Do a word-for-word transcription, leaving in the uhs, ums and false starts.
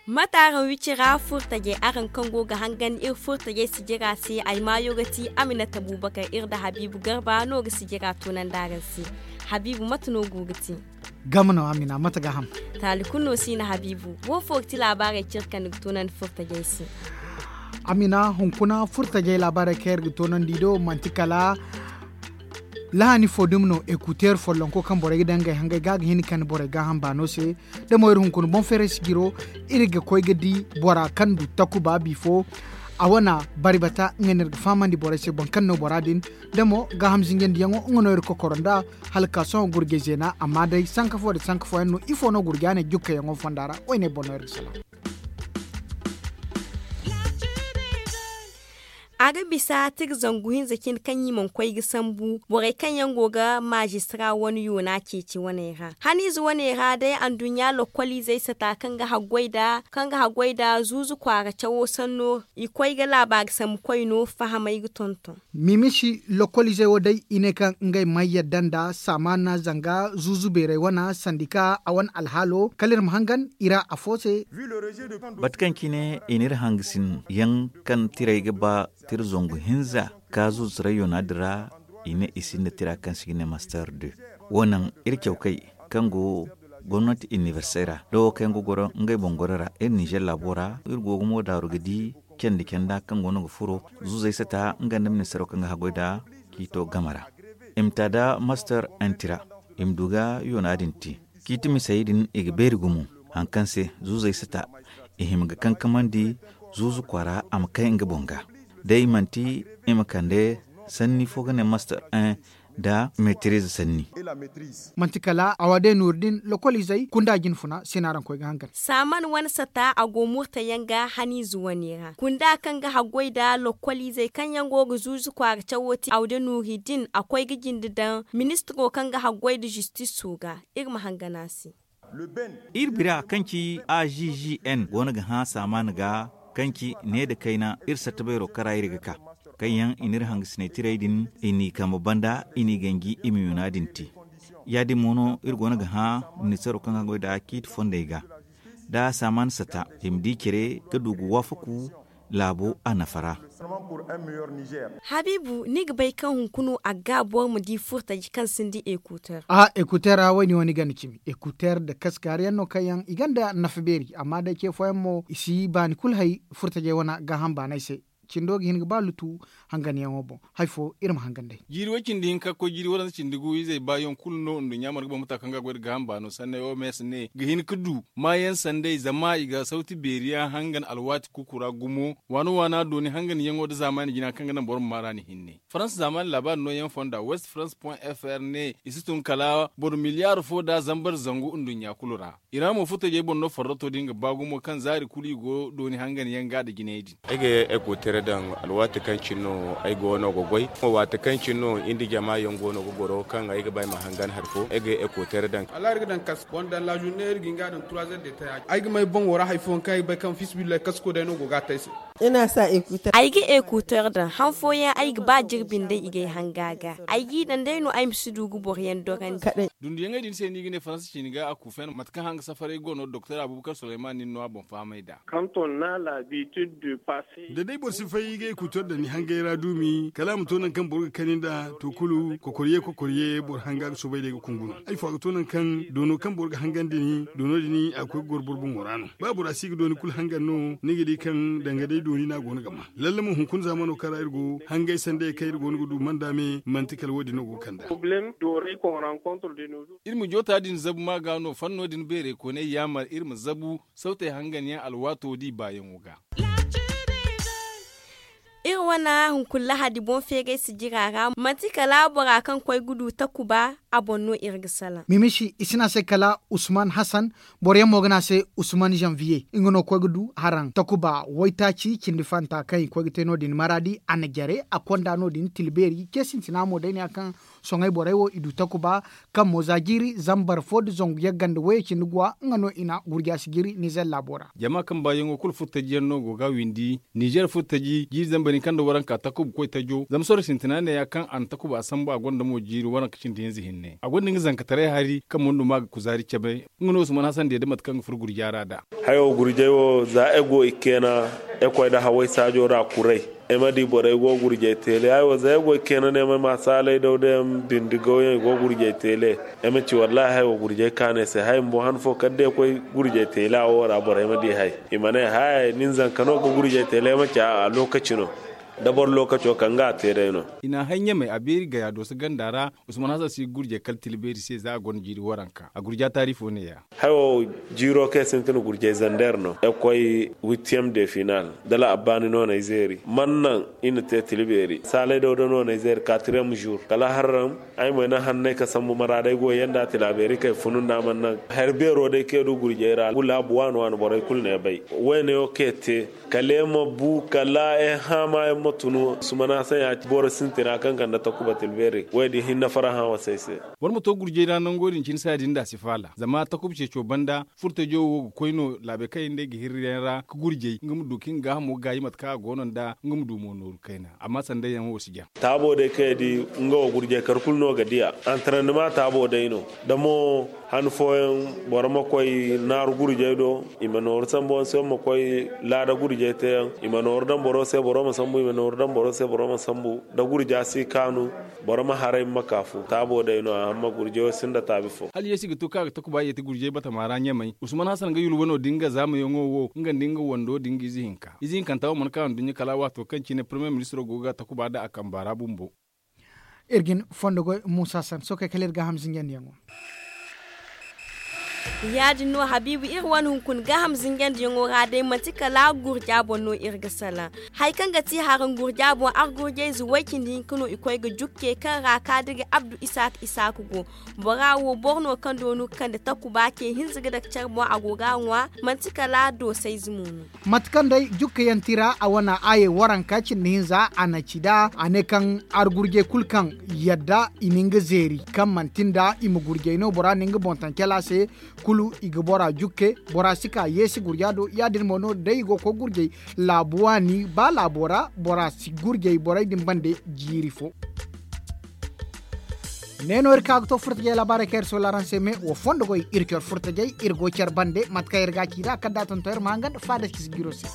Mate araŋ wicira furtajey araŋ kaŋ go ga hangan iri furtajey sijira se ay maayo ga ti aminata bubakar iri nda habiibu garba no ga sijira toonandi araŋ se. Habiibu mate no go ga ti? Gama no amina mate ga ham? Taali kulu no si na habiibu wo fo ga ti laabaarey ciri kaŋ ni ga toonandi furtajey se? Amina hunkuna furtajey laabaarey kaŋ iri ga toonandi do manti kala lahani fo dumi no ekuteer follonko kaŋ borey ga daŋ ngey hangey ga ga hin ga kande borey gaaham baano se. Da mo iri hunkuna boŋ feeray sijiro iri ga koy ga di bora kaŋ du takuba bifo a wane bari bata nga no iri ga fahamandi borey se boro kaŋ no bora din. Da mo gaaham zinjandiyaŋo nga no iri kokoro nda hala ka sohõ gurjey zeena amma day sanka fo nda sanka fooyaŋ no ifo no gurja ne jukkayaŋo fonda ra? Woyne boŋ no iri ga salaŋ. A ga bisa tira zangu hinza cine kaŋ i mana koy ga sambu borey kaŋ yaŋ go ga maazistra wane yoona ceeci waney ra haniize waney ra day anduɲɲa lokkoliizey sata kaŋ ga haggoy nda zuuzu kwaara cawo sanno i koy ga laabaari sambu koyno fahamay ga tonton. Mimisi lokkoliizey wo day i ne kaŋ ngey mana yadda nda saamaana zanga zuuzu beerey wane sandika a wane alhaalo kala iri ma hangan i ra afo se. Bate kaŋ cine i n'iri hangasin yaŋ kaŋ tirey ga ba tira zangu hinza ka zuuzu rayyoona din ra i ne i sinda tira kaŋ se i ga ne master deux. Wo naŋ iri cawkay kaŋ go gomnati inibersey ra da wo kaŋ yaŋ ga goro ngey boŋ goro ra iri ninzeer laabo ra iri go ga mo daaru ga di candi canda kaŋ goono ga furo zuuzey sata nga nda ministaro kaŋ ga haggoy nda ciito game ra. I ma ta nda master un tira i ma du ga yoona din te. Ciiti misey din i ga beeri gumo hari kaŋ se zuuzey sata i hima ga kankamandi zuuzu kwaara a ma kay nga boŋ ga. Day manti i ma kande sanni fo ga ne master un nda metiriize sanni. Manti kala a wa day nooru din lokoliizey kunda jinfuna se no araŋ koy ga hangan. Saaman wane sata a go murtayaŋ ga haniize wane ra kunda kaŋ ga haggoy nda lokoliizey kaŋ yaŋ go ga zuuzu kwaara cawo te a wa day nooru din a koy ga jinde daŋ ministiro kaŋ ga haggoy nda zistiso ga. Iri ma hangan a se. Iri bira kaŋ ci a g g n goono ga hã saamaan ga kaŋ ci ne nda kayna iri satta beero kara iri ga ka kaŋ yaŋ i n'iri hangasinay tirey din i n'i kambe banda i n'i ganji i ma yoona din te. Ya- din mo no iri goono ga hã ministaro kaŋ ga goy nda ciiti fondey ga nda saamaan sata i ma di care ga du ga waafaku laabo a nafa ra. Habiibu ni ga bay kaŋ hunkuna a ga boro ma di furtaji kaŋ sinda ekuteer? Aha ekuteer ra wo- din wo ni ganda cimi ekuteer nda kaskaari yaŋ no kaŋ yaŋ i ganda nafa beeri amma day ce fooyaŋ mo i si baani kulu hay furtajey wane gaaham baanay se. Cindo ga hin ga ba lutu hanganyaŋo boŋ. Hari fo iri ma hangan day. Jiiri way cindi hinka ga koy jiiri waranza cindi gu izey baayaŋ kulu no nduɲɲa mana ga boŋ mata kaŋ ga goy nda gaaham baano sanney oms ne ga hin ga du maayaŋ sanday zama i ga sawti beeri yaŋ hangan alwaati kuuku ra gumo waana waana dooni hanganyaŋo nda zaamaani jina kaŋ ga naŋ boro ma maar'a ni hinne. Farans zaamaani laabaari nooyaŋ fonda west farans point f r ne i si tun kala boro miliyaar fo nda zambar zangu nduɲɲa kulu ra. Ira mo furtajey boŋ no farrato din ga ba gumo kaŋ zaari kulu i go dooni hangan yaŋ ga nda jinay din. Ay ga ekuteer daŋ alwaati kaŋ cine no ay goono ga goy. Waati kaŋ cine no iri nda jama yaŋ goono ga goro kaŋ ay ga ba ay ma hangan hari fo ay ga ekuteer daŋ. Ay ga may boŋo ra hari fooyaŋ kaŋ ay ga bay kaŋ fiisabilillahi kasko day no go ga a te ay se. Ay ga ekuteer daŋ han fooyaŋ ay ga ba jirbi nda i ga ay hanga ga ay g'i daŋ day no ay ma si du ga boro yaŋ dorandi. Dunduyaŋey din se no i ga ne faransa ciini ga a kuufen mate kaŋ hanga safaray go no doktor abubakar suleyman nin no a boŋ fahamay nd'a. Da day boro si fay ga ekuteer daŋ ni hangay ra duumi kala a ma to nangu kaŋ boro ga kani nd'a to kulu kokoriye kokoriye boro hanga ga soobay day ga kungu no. Ay fo a ga to nangu kaŋ doono kaŋ boro ga hangandi ni doono din a ga koy ga goro boro boŋo ra no. Ba bora si ga dooni kulu hangan no ni ga di kaŋ danga day dooni no a go no ga ma lalle mo hunkuna zaamano kaŋ ra iri go hangay sanday kaŋ iri go no ga du manda me manti kala wo- din no go ga kand'a. Iri ma joota din zabu ma ga no fanno din beerey kooney yaamar iri ma zabu sawtey hangan yaŋ alwaato da i baayaŋo ga. Iri wane hunkuna lahadi boŋ feeray sijira ra manti kala bora kaŋ koy ga du takuba a boŋ no iri ga salaŋ. Mimisi i si ne a se kala usman hasan. Boro yaŋ mo ga ne a se usman zanviye nga no koy ga du haraŋ takuba waytaaci cindi fanta kaŋ i koy ga te no- din maraadi a na jare a konda no- din tilbeeri ce sintina mo day ne ya kaŋ soŋay borey wo i du takuba kaŋ mo za jiiri zambar fo nda zangu yagga nda wayey cindi guwa nga no i na gurja si jiiri nizer laabo ra. Jama kaŋ baayaŋo kulu furtajiyaŋ no go ga a windi nizer furtaji jiiri zambar hinka nda waranka takuba koy tajo zama sorro sintina ne ya kaŋ a na takuba a sambu a gonda mo jiiri waranka cindi hinza hinne a gonda nga zankataray hari kaŋ mo nda ma ga kuzaari cabe. Nga no usman hasan diya da mate kaŋ ga furo gurja ra nd'a. Hayo gurjay wo za ay go i keena ay koy nda haway saajo ra kuray ay ma di borey go gurjay teele hayo za ay go i keena no ay ma ma saalay daw day yaŋ bindi gaw yaŋ i go gurjay teele. Ay ma ci wallaahi hayo gurjay kaanay se hay bumbo han fo kala day ay koy gurjay teele a wo ra borey ma di hay i ma ne hay nin zanka no ga gurjay teele ay ma ci a lookaci no. Da boro lookaco kaŋ ga a te day no. I na a hay ɲamay a beeri gaya dooso ganda ra. Usman hasan si ga gurjay kala tila beeri se za a gonda jiiri waranka a gurja taari fo ne- ya. Hayo jiiro kaŋ ay sintin gurjay zander no ay ga koy witiyem de final dala abbaani no no ay zeeri man naŋ i na te tila beeri saalay daw da no no ay zeeri katriyem zuur kala harram. Ay mo ay naŋ hannay ka sambu maraadey go yanda tila beeri kay funu nda a man naŋ hari beero day kaŋ ay du gurjay ra gulaabu waani waani borey kulu no ay bay. Wayne wo kaŋ ay te kala ay ma bu kala ay haama ay ma tunu sumana saŋ ya ci boro sintina kaŋ kande takuba tila beeri wo- din hinne faraha wasa ay se. Boro ma to gurjay ra nango din cine saaya din da a si faala zama takuba ceeco banda furtajo wo ga koy no laabey kaŋ yaŋ day ga hirri yaŋ ra ga gurjay nga ma du kaŋ i ga gaahamo gaayi mate kaŋ a go no nd'a nga ma du mo nooru kayna amma sanday yaŋ wo si jaŋ. Taabo day kaŋ i di nga wo gurjay kar kulu no ga diya antarandima taabo day no. Da mo han fooyaŋ boro ma koy naaru gurjay do i ma nooru sambu yaŋ se boro ma koy laada gurjay te yaŋ i ma nooru daŋ boro se boro ma sambu i ma nooru daŋ boro se boro ma sambu da gurja si kaanu. Boro ma haray ma ma kaafu taabo day no a hamma gurjay wo sinda taabi fo. Hala yeesi ga to kaŋ a ga takuba yeeti gurjay batama ra ɲamay usman hasan ga yulwa no da nga zaamayaŋo wo nga nda nga wando da nga ize hinka ize hinkanta wo mana ka nduɲɲa kala waato kaŋ cine parmiye ministiro go ga takuba nd'a a kamba ra bumbo. Iri ga ni fondo goy muusa san sookey kala iri gaaham zinjandiyaŋo. Ya- din no habiibu iri wane hunkuna gaaham zinjandiyaŋo ra day manti kala gurja boŋ no iri ga salaŋ. Hari kaŋ ga ti haraŋ gurja boŋ argurjayze way-cindi hinka no i koy ga jukke kaŋ ra kaadiri abdu isaaka isaaka go. Bora wo boro no kaŋ doonu ga kande takuba ce hinza ga dake care boŋ a go ga a ŋwa. Manti kala doosayze mo no. Mate kaŋ day jukkayaŋ tira a wane aayey waranka cindi hinza a na ci nd'a a ne kaŋ argurjey kulu kaŋ yadda i na nga zeeri kaŋ manti nda i ma gurjey no bora na nga boŋ taŋ cala se. Kulu i ga bora jukke bora si ka yeesi gurja do ya- din mo no day i go ga koy gurjey laabu waani ba laabo ra bora si gurjey borey din bande jiiri fo. Ne no iri ka ga to furtajey laabaarey kaŋ iri soola araŋ se me wa fondo goy iri care furtajey iri go care bande mate kaŋ iri ga a ci nd'a kala da a tonton iri ma hangan faada ci si jiiro se.